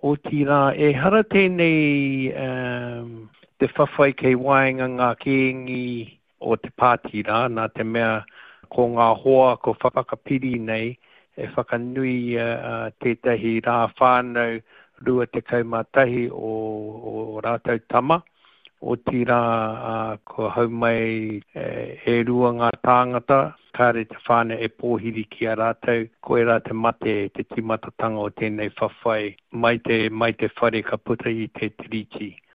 Otirā, ehara tēnei te whawhai kei waenga ngā kēngi o te pāti rā, nā te mea ko ngā hoa ko whakapiri nei e whakanuia tētahi rā whānau 21 o ō rātou tama, otirā kua hau mai e rua ngā tāngata, kāre te whānau e pōhiri ki a rātou, koirā te mate, te tīmatatanga o tēnei whawhai mai te, mai te whare ka puta i te tiriti.